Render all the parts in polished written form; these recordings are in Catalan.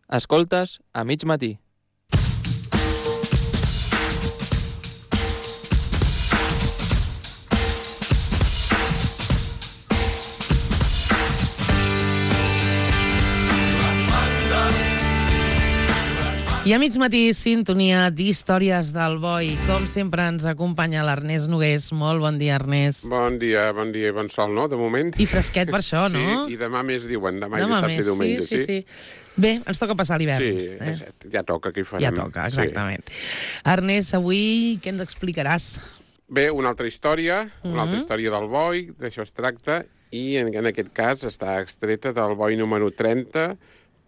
Escoltes a mig matí. I a mig matí, sintonia d'Històries del Boi. Com sempre ens acompanya l'Ernest Nogués. Molt bon dia, Ernest. Bon dia i bon sol, no?, de moment. I fresquet per això, no? Sí, i demà més diuen, demà i dissabte i diumenge, sí. Bé, ens toca passar l'hivern. Sí, ja toca, què hi farem? Ja toca, exactament. Sí. Ernest, avui què ens explicaràs? Bé, una altra història del Boi, d'això es tracta, i en aquest cas està extreta del Boi número 30,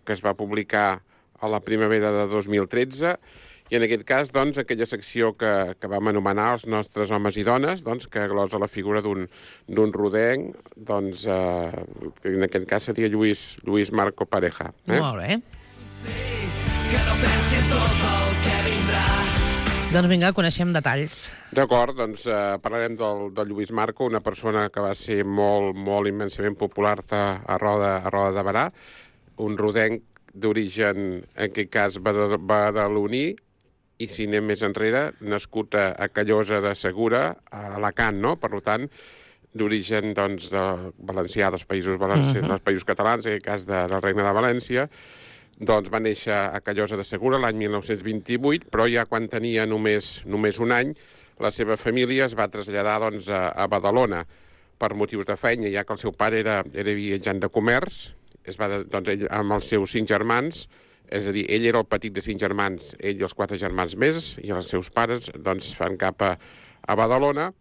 que es va publicar a la primavera de 2013, i en aquest cas, doncs, aquella secció que vam anomenar els nostres homes i dones, doncs, que glosa la figura d'un rodenc, doncs, que en aquest cas seria Lluís Marco Pareja. Molt bé. Doncs vinga, coneixem detalls. D'acord, doncs parlarem del Lluís Marco, una persona que va ser molt immensament popular a Roda de Berà, un rodenc d'origen, en aquest cas, badaloní, i si anem més enrere, nascut a Callosa de Segura, a Alacant, no? Per tant, d'origen, doncs, valencià, dels països catalans, en aquest cas del Regne de València, doncs va néixer a Callosa de Segura l'any 1928, però ja quan tenia només un any, la seva família es va traslladar, doncs, a Badalona per motius de feina, ja que el seu pare era viatjant de comerç. Doncs ell amb els seus 5 germans, és a dir, ell era el petit de 5 germans, ell i els 4 germans més, i els seus pares doncs fan cap a Badalona,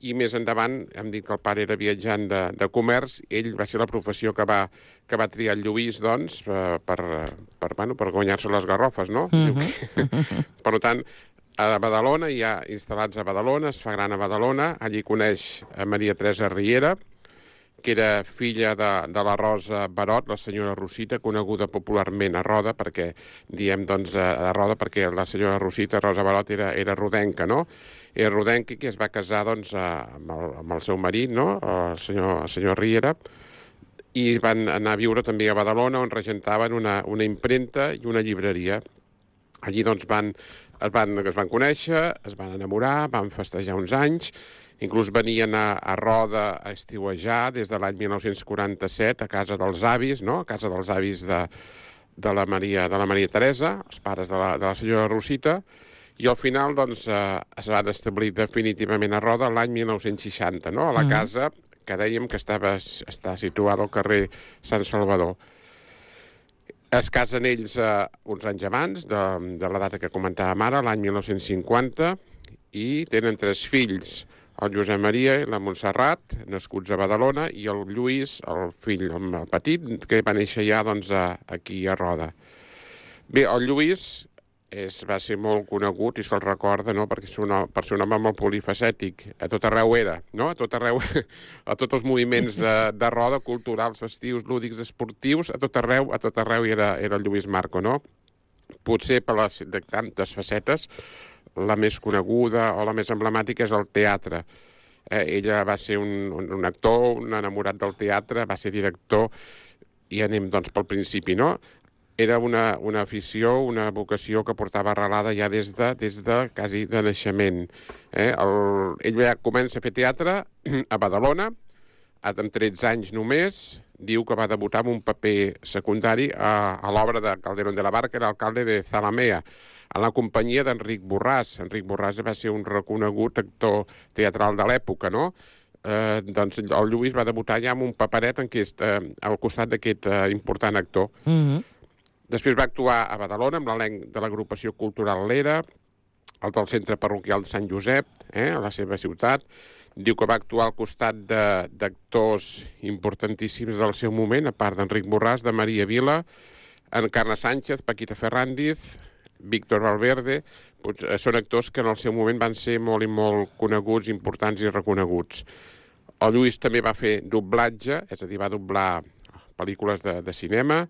i més endavant hem dit que el pare era viatjant de comerç, ell va ser la professió que va triar el Lluís, doncs, per guanyar-se les garrofes, no? Per tant, a Badalona, ja instal·lats a Badalona, es fa gran a Badalona, allí coneix a Maria Teresa Riera, que era filla de la Rosa Barot, la senyora Rosita, coneguda popularment a Roda, perquè diem, doncs, a Roda, perquè la senyora Rosita, Rosa Barot, era rodenca, no? Era rodenca, que es va casar, doncs, amb el seu marit, no?, el senyor Riera, i van anar a viure també a Badalona, on regentaven una impremta i una llibreria. Allí, doncs, es van conèixer, es van enamorar, van festejar uns anys, inclús venien a Roda a estiuejar des de l'any 1947 a casa dels avis, no?, a casa dels avis de la Maria Teresa, els pares de la senyora Rosita, i al final, doncs, es van establir definitivament a Roda l'any 1960, no?, a la casa que dèiem que està situada al carrer Sant Salvador. Es casen ells uns anys abans de la data que comentàvem ara, l'any 1950, i tenen 3 fills, el Josep Maria i la Montserrat, nascuts a Badalona, i el Lluís, el fill, el petit, que va néixer ja, doncs, aquí a Roda. Bé, el Lluís va ser molt conegut, i se'l recorda, no?, perquè per ser un home molt polifacètic. A tot arreu era, no?, a tot arreu, a tots els moviments de Roda, culturals, festius, lúdics, esportius, a tot arreu era el Lluís Marco, no? Potser per les de tantes facetes, la més coneguda o la més emblemàtica és el teatre. Ella va ser un actor, un enamorat del teatre, va ser director, i anem, doncs, pel principi, no? Era una afició, una vocació que portava arrelada ja des de quasi de naixement. Ell ja comença a fer teatre a Badalona, amb 13 anys només. Diu que va debutar amb un paper secundari a l'obra de Calderón de la Barca, era alcalde de Zalamea, a la companyia d'Enric Borràs. Enric Borràs va ser un reconegut actor teatral de l'època, no? Doncs el Lluís va debutar ja amb un paperet al costat d'aquest important actor. Després va actuar a Badalona amb l'elenc de l'agrupació cultural L'Era, el del Centre Parroquial de Sant Josep, a la seva ciutat. Diu que va actuar al costat d'actors importantíssims del seu moment, a part d'Enric Borràs, de Maria Vila, Encarna Sánchez, Paquita Ferrandiz, Víctor Valverde. Són actors que en el seu moment van ser molt i molt coneguts, importants i reconeguts. El Lluís també va fer doblatge, és a dir, va doblar pel·lícules de cinema,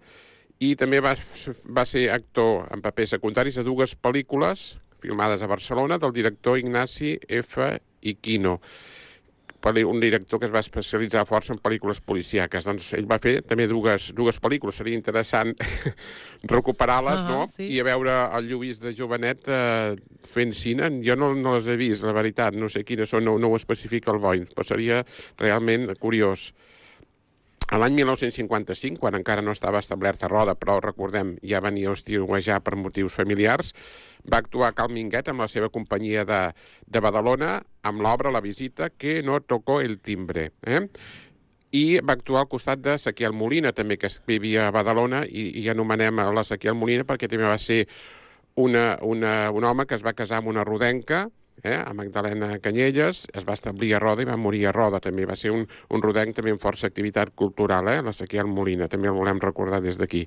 i també va ser actor en papers secundaris a 2 pel·lícules filmades a Barcelona del director Ignasi F. Iquino. un director que es va especialitzar força en pel·lícules policíaques. Doncs ell va fer també dues pel·lícules. Seria interessant recuperar-les, no? Sí. I a veure el Lluís de jovenet fent cine. Jo no les he vist, la veritat. No sé quines són, no ho especifica el Boi, però seria realment curiós. A l'any 1955, quan encara no estava establerta Roda, però recordem, ja venia a estiuejar per motius familiars, va actuar a Cal Minguet amb la seva companyia de Badalona amb l'obra La visita que no tocó el timbre. I va actuar al costat de Sequiel Molina, també, que vivia a Badalona, i anomenem a la Sequiel Molina perquè també va ser un home que es va casar amb una rodenca, a Magdalena Canyelles, es va establir a Roda i va morir a Roda. També va ser un rodenc també amb força activitat cultural, la Sequiel Molina, també el volem recordar des d'aquí.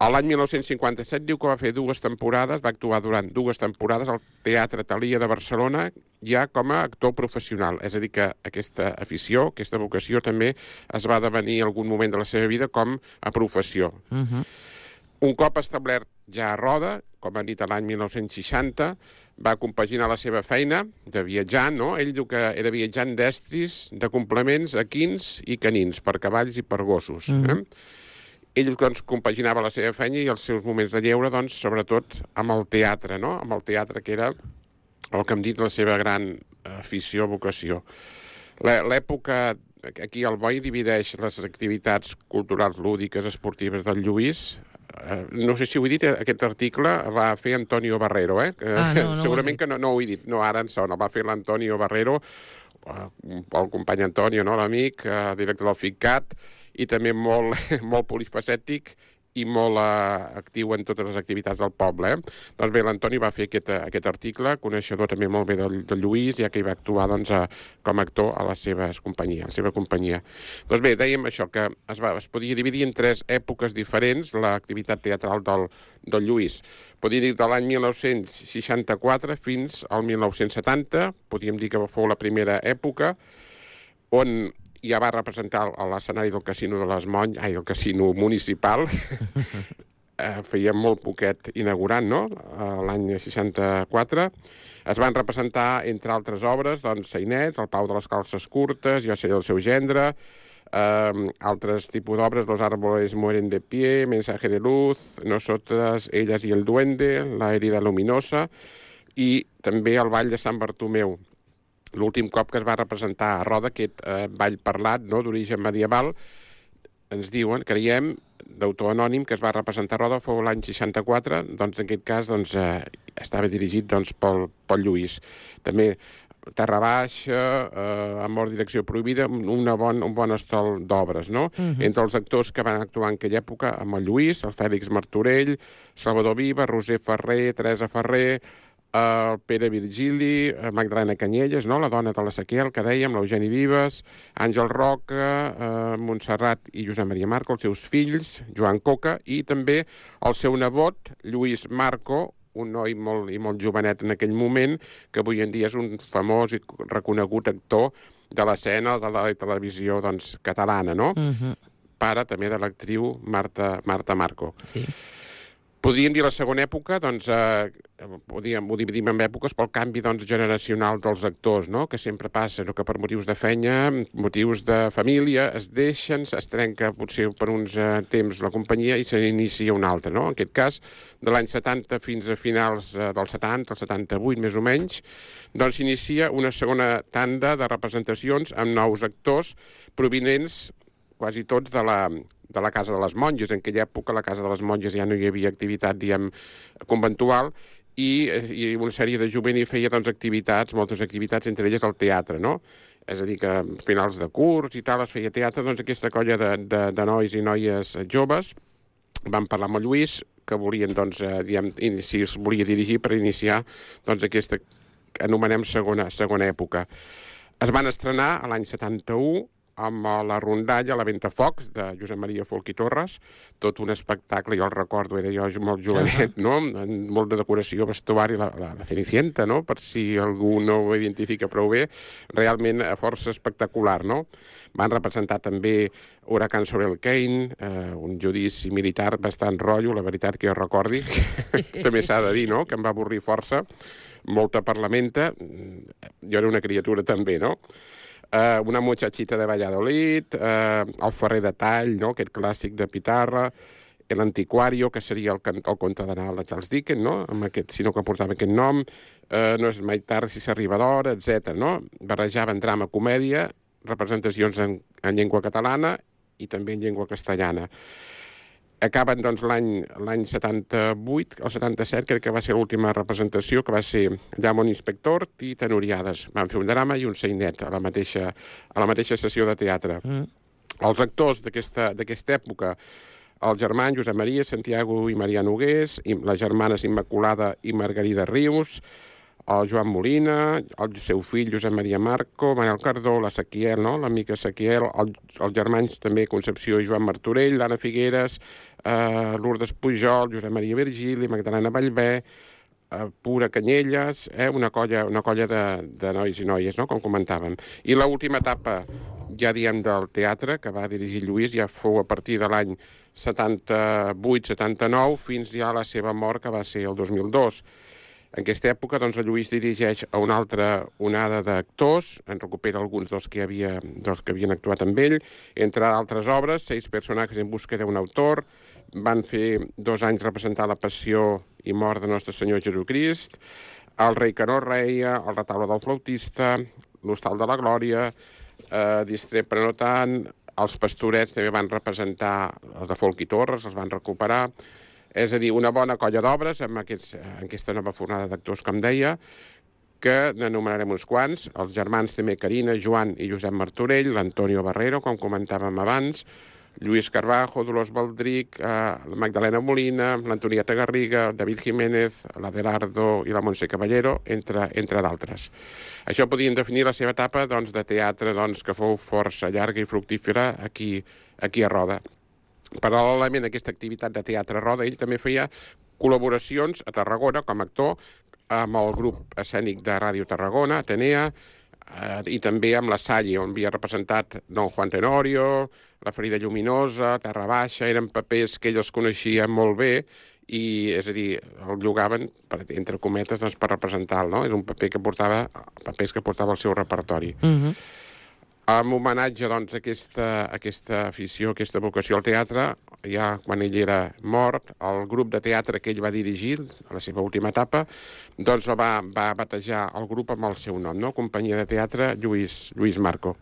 A l'any 1957 diu que va fer 2 temporades, va actuar durant 2 temporades al Teatre Thalia de Barcelona, ja com a actor professional. És a dir, que aquesta afició, aquesta vocació també es va devenir en algun moment de la seva vida com a professió. Un cop establert ja a Roda, com ha dit l'any 1960, va compaginar la seva feina de viatjar, no? Ell diu que era viatjant d'estris, de complements equins i canins, per cavalls i per gossos. Ell doncs, compaginava la seva feina i els seus moments de lleure, doncs, sobretot amb el teatre, no? Amb el teatre, que era el que hem dit la seva gran afició, vocació. L'època, aquí el Boi divideix les activitats culturals, lúdiques, esportives del Lluís. No sé si ho he dit, aquest article va fer Antonio Barrero, no segurament que no ho he dit, no, ara en sona, el va fer l'Antonio Barrero, el company Antonio, no, l'amic, director del FICCAT, i també molt polifacètic i molt actiu en totes les activitats del poble. Doncs bé, l'Antoni va fer aquest article, coneixedor també molt bé del Lluís, ja que hi va actuar doncs, com a actor a la seva companyia. Doncs bé, dèiem això, que es podia dividir en 3 èpoques diferents l'activitat teatral del Lluís. Podríem dir de l'any 1964 fins al 1970, podríem dir que fou la primera època, on ja va representar a l'escenari del Casino de les Monges, el Casino Municipal, feia molt poquet inaugurant, no?, l'any 64. Es van representar, entre altres obres, doncs, Sainets, El Pau de les Calces Curtes, Jo seré el seu gendre, altres tipus d'obres, Los árboles mueren de pie, Mensaje de luz, Nosotras, ellas y el duende, La herida luminosa, i també el Ball de Sant Bartomeu. L'últim cop que es va representar a Roda, aquest ball parlat, no?, d'origen medieval, ens diuen, creiem, d'autor anònim, que es va representar a Roda fou l'any 64, doncs en aquest cas doncs, estava dirigit doncs, pel Lluís. També Terra Baixa, Amor, direcció prohibida, un bon estol d'obres, no? Entre els actors que van actuar en aquella època, amb el Lluís, el Fèlix Martorell, Salvador Viva, Roser Ferrer, Teresa Ferrer, el Pere Virgili, Magdalena Canyelles, no?, la dona de la Sequiel, que dèiem, l'Eugeni Vives, Àngel Roca, Montserrat i Josep Maria Marco, els seus fills, Joan Coca, i també el seu nebot, Lluís Marco, un noi molt jovenet en aquell moment, que avui en dia és un famós i reconegut actor de l'escena de la televisió doncs, catalana, no? Pare també de l'actriu Marta Marco. Sí. Podríem dir la segona època, doncs, ho dividim en èpoques pel canvi doncs, generacional dels actors, no?, que sempre passa, no?, que per motius de feina, motius de família, es deixen, es trenca potser per uns temps la companyia i se n'inicia una altra, no? En aquest cas, de l'any 70 fins a finals del 70, el 78 més o menys, doncs s'inicia una segona tanda de representacions amb nous actors provinents quasi tots de la Casa de les Monges. En aquella època a la Casa de les Monges ja no hi havia activitat, diguem, conventual, i una sèrie de jovent hi feia doncs, moltes activitats, entre elles el teatre, no? És a dir, que a finals de curs i tal es feia teatre, doncs aquesta colla de nois i noies joves van parlar amb el Lluís, que volien, doncs, si es volia dirigir per iniciar doncs, aquesta que anomenem segona època. Es van estrenar l'any 71 amb la rondalla, la Ventafocs, de Josep Maria Folch i Torres, tot un espectacle, jo el recordo, era jo molt jovenet, no? Molt de decoració, vestuari, la Cenicienta, no? Per si algú no ho identifica prou bé, realment força espectacular, no? Van representar també Huracán sobre el Kane, un judici militar bastant rotllo, la veritat que jo recordi, també s'ha de dir, no?, que em va avorrir força, molta parlamenta, jo era una criatura també, no?, una muchachita de Valladolid, el Ferrer de Tall, no?, aquest clàssic de Pitarra, l'Antiquario, que seria el conte de Nadal de Charles Dickens, no?, amb aquest, sinó que portava aquest nom, no és mai tard si s'arriba d'hora, etc. no? Barrejaven drama, comèdia, representacions en llengua catalana i també en llengua castellana. Acaben, doncs, l'any 78, el 77, crec que va ser l'última representació, que va ser Llamon Inspector i Tenoriades. Van fer un drama i un sainet a la mateixa sessió de teatre. Els actors d'aquesta època, els germans Josep Maria, Santiago i Maria Nogués, les germanes Immaculada i Margarida Rius, el Joan Molina, el seu fill Josep Maria Marco, Manel Cardó, la Sequiel, no?, l'amica Sequiel, els germans també Concepció i Joan Martorell, l'Anna Figueres, Lourdes Pujol, Josep Maria Virgili, Magdalena Vallvé, Pura Canyelles, una colla de nois i noies, no?, com comentàvem. I l'última etapa, ja diem, del teatre, que va dirigir Lluís, ja fou a partir de l'any 78-79 fins ja a la seva mort, que va ser el 2002. En aquesta època, doncs, el Lluís dirigeix a una altra onada d'actors, en recupera alguns dels que havien actuat amb ell, entre altres obres, 6 personatges en busca d'un autor, van fer 2 anys representar la passió i mort de Nostre Senyor Jesucrist, el rei que no reia, el retaule del flautista, l'hostal de la glòria, distret però no tant, els pastorets també van representar els de Folch i Torres, els van recuperar. És a dir, una bona colla d'obres en aquesta nova fornada d'actors, com deia, que n'enumerarem uns quants. Els germans també Carina, Joan i Josep Martorell, l'Antonio Barrero, com comentàvem abans, Lluís Carbajo, Dolors Baldric, la Magdalena Molina, l'Antonieta Garriga, David Jiménez, l'Adelardo i la Montse Caballero, entre d'altres. Això podien definir la seva etapa, doncs, de teatre, doncs, que fou força llarga i fructífera aquí a Roda. Paral·lelament a aquesta activitat de teatre a Roda, ell també feia col·laboracions a Tarragona com a actor amb el grup escènic de Ràdio Tarragona, Atenea, i també amb la Salle, on havia representat Don Juan Tenorio, La ferida lluminosa, Terra Baixa, eren papers que ell els coneixia molt bé i, és a dir, el llogaven, entre cometes, doncs, per representar-lo, no? És un paper que portava, papers que portava al seu repertori. En homenatge, doncs, a aquesta afició, a aquesta vocació al teatre, ja quan ell era mort, el grup de teatre que ell va dirigir, a la seva última etapa, doncs va batejar el grup amb el seu nom, no? Companyia de Teatre Lluís Marco.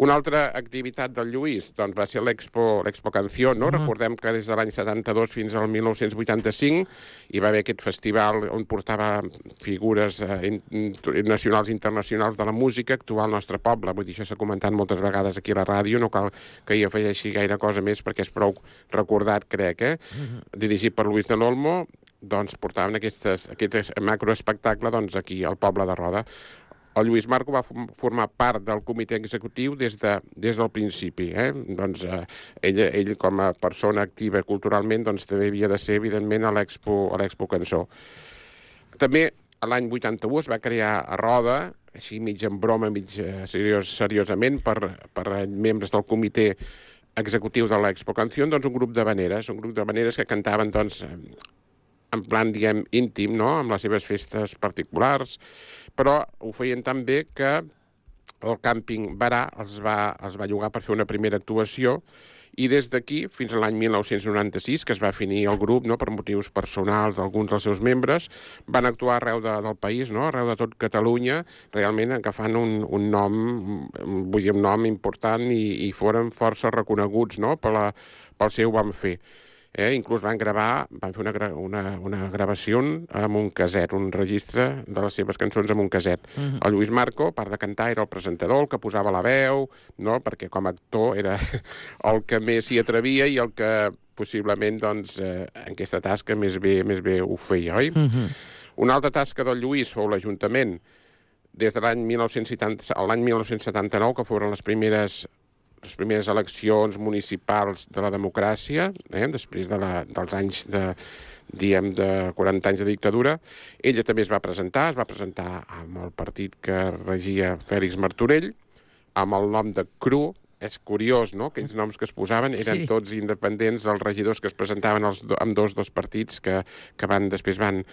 Una altra activitat del Lluís doncs, va ser l'Expo Canción, no? Recordem que des de l'any 72 fins al 1985 hi va haver aquest festival on portava figures nacionals i internacionals de la música actual al nostre poble. Vull dir, això s'ha comentat moltes vegades aquí a la ràdio, no cal que hi afegeixi gaire cosa més perquè és prou recordat, crec, dirigit per Luis de l'Olmo, doncs portaven aquest macroespectacle doncs, aquí al poble de Roda. El Lluís Marco va formar part del comitè executiu des del principi. Doncs, ell, com a persona activa culturalment, doncs, també havia de ser, evidentment, a l'Expo Cançó. També, l'any 81 es va crear a Roda, així mig en broma, mig seriosament, per membres del comitè executiu de l'Expo Canción, doncs un grup de veneres que cantaven, doncs, en plan, diguem, íntim, no?, amb les seves festes particulars, però ho feien tan bé que el càmping Barà els va llogar per fer una primera actuació i des d'aquí, fins a l'any 1996, que es va finir el grup, no?, per motius personals d'alguns dels seus membres, van actuar arreu del país, no?, arreu de tot Catalunya, realment agafant un nom, vull dir, un nom important i foren força reconeguts, no?, pel seu bon fer. Inclús van fer una gravació amb un caset, un registre de les seves cançons amb un caset. El Lluís Marco, a part de cantar, era el presentador, el que posava la veu, no?, perquè com a actor era el que més s'hi atrevia i el que possiblement, doncs, en aquesta tasca més bé ho feia, oi? Una altra tasca del Lluís fou l'Ajuntament, des de l'any 1979, que foren les primeres les primeres eleccions municipals de la democràcia, després dels anys de 40 anys de dictadura. Ella també es va presentar amb el partit que regia Fèlix Martorell, amb el nom de CRU. És curiós, no?, aquells noms que es posaven eren tots independents, els regidors que es presentaven amb dos partits que després van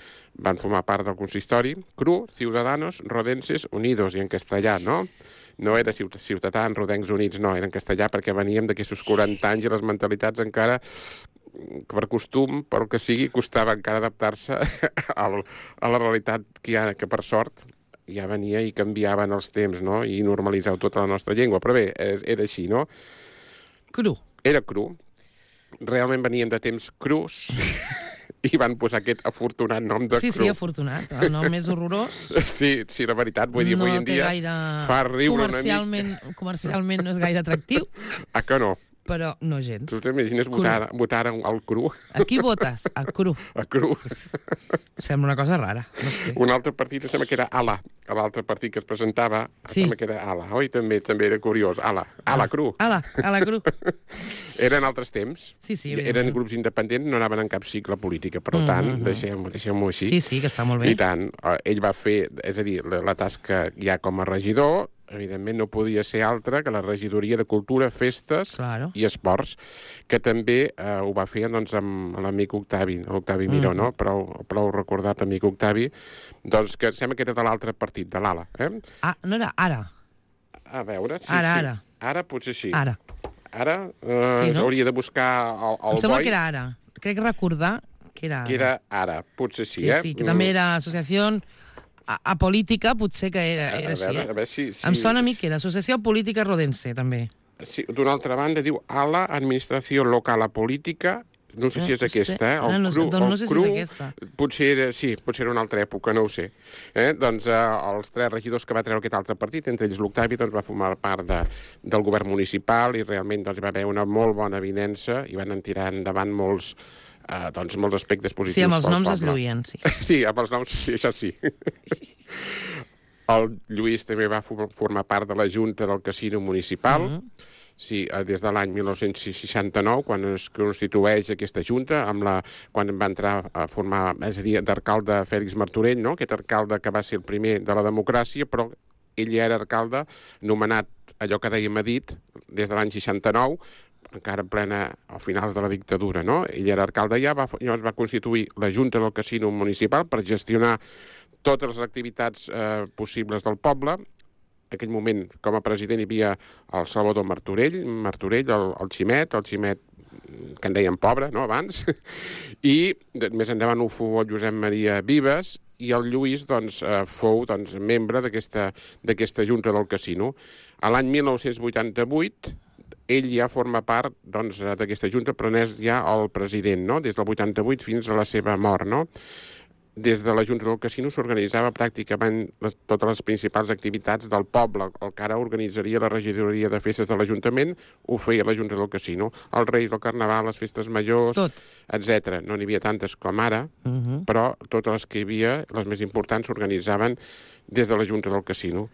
formar part del consistori. CRU, Ciudadanos Rodenses Unidos, i en castellà, no? No era Ciutadans Rodencs Units, no, era en castellà perquè veníem d'aquests 40 anys i les mentalitats encara, per costum, pel que sigui, costava encara adaptar-se a la realitat que per sort ja venia i canviaven els temps, no?, i normalitzau tota la nostra llengua. Però bé, era així, no? Cru. Era cru. Realment veníem de temps crus i van posar aquest afortunat nom de cru. Sí, afortunat. El nom és horrorós. Sí, la veritat, vull dir, avui en dia fa riure una mica. Comercialment no és gaire atractiu. Ah, que no? Però no gens. Tu t'imagines votar al cru? A qui votes? A cru. A cru. Sembla una cosa rara. No sé. Un altre partit sembla que era ALA. L'altre partit que es presentava sembla que era ALA. Oi? També era curiós. ALA cru. ALA cru. Eren altres temps. Sí, eren grups independents, no anaven en cap cicle política. Per tant, deixem-ho així. Sí, que està molt bé. I tant. Ell va fer, és a dir, la tasca ja com a regidor, evidentment no podia ser altra que la regidoria de Cultura, Festes i Esports, que també ho va fer doncs, amb l'amic l'Octavi Miró, no? Prou recordat amic Octavi, doncs que sembla que era de l'altre partit, de l'ALA. Ah, no era ara? A veure, sí. Ara potser sí. Ara hauria de buscar el boi. Em sembla que era ara. Crec recordar que era ara. Que era ara, potser sí, Sí, que també era associació apolítica, potser que era així. A veure si... Em sona a mi que era Associació Política Rodense, també. Sí, d'una altra banda diu ALA, Administració Local Política. No sé si és aquesta, No sé si és aquesta. Potser era una altra època, no ho sé. Doncs els 3 regidors que va treure aquest altre partit, entre ells l'Octavi, doncs va formar part del govern municipal i realment doncs, va haver una molt bona avinença i van tirar endavant molts aspectes positius. Sí, amb els noms es lluïen, sí. Sí, amb els noms, sí, això sí. El Lluís també va formar part de la Junta del Casino Municipal, sí, des de l'any 1969, quan es constitueix aquesta Junta, quan va entrar a formar, és a dir, d'alcalde Fèlix Martorell, no? Aquest alcalde que va ser el primer de la democràcia, però ell ja era alcalde nomenat, allò que dèiem a dit, des de l'any 69, encara a finals de la dictadura, no? Ell era alcalde ja, llavors va constituir la Junta del Casino Municipal per gestionar totes les activitats possibles del poble. En aquell moment, com a president, hi havia el Salvador Martorell, el Ximet que en deien pobre, no?, abans, i més endavant ho fou el Josep Maria Vives, i el Lluís fou membre d'aquesta Junta del Casino. A l'any 1988, ell ja forma part d'aquesta Junta, però n'és ja el president, no?, des del 88 fins a la seva mort, no? Des de la Junta del Casino s'organitzava pràcticament totes les principals activitats del poble. El que ara organitzaria la regidoria de festes de l'Ajuntament ho feia la Junta del Casino. Els Reis, el Carnaval, les festes majors, etc. No n'hi havia tantes com ara, però totes les que hi havia, les més importants, s'organitzaven des de la Junta del Casino.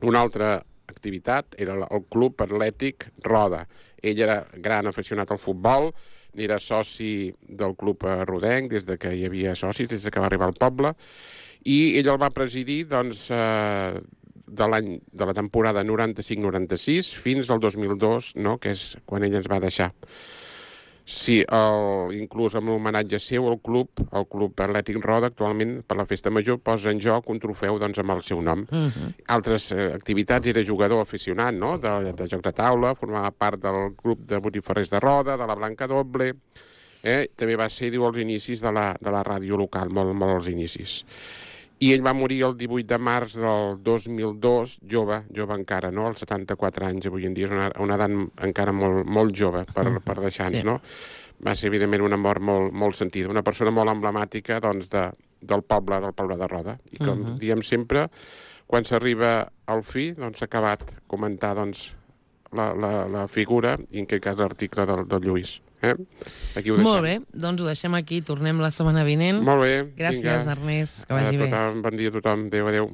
Una altra activitat era el Club Atlètic Roda. Ell era gran aficionat al futbol, era soci del Club Rodenc des que hi havia socis, des que va arribar al poble, i ell el va presidir de la temporada 95-96 fins al 2002, no?, que és quan ell ens va deixar. Sí, inclús amb l'homenatge seu, el Club Atlètic Roda, actualment, per la Festa Major, posa en joc un trofeu amb el seu nom. Altres activitats, era jugador aficionat, no?, de jocs de taula, formava part del grup de botifarrers de Roda, de la Blanca Doble, també va ser, diu, als inicis de la ràdio local, molt als inicis. I ell va morir el 18 de març del 2002, jove encara, no?, als 74 anys, avui en dia és una edat encara molt jove per deixar-nos, no? Va ser, evidentment, una mort molt sentida, una persona molt emblemàtica, del poble de Roda. I com diem sempre, quan s'arriba al fi, s'ha acabat comentar, la figura, i en aquest cas l'article del Lluís. Aquí ho deixem. Molt bé, doncs ho deixem aquí, tornem la setmana vinent. Molt bé. Gràcies, Ernest, que vagi bé. Bon dia a tothom, adéu.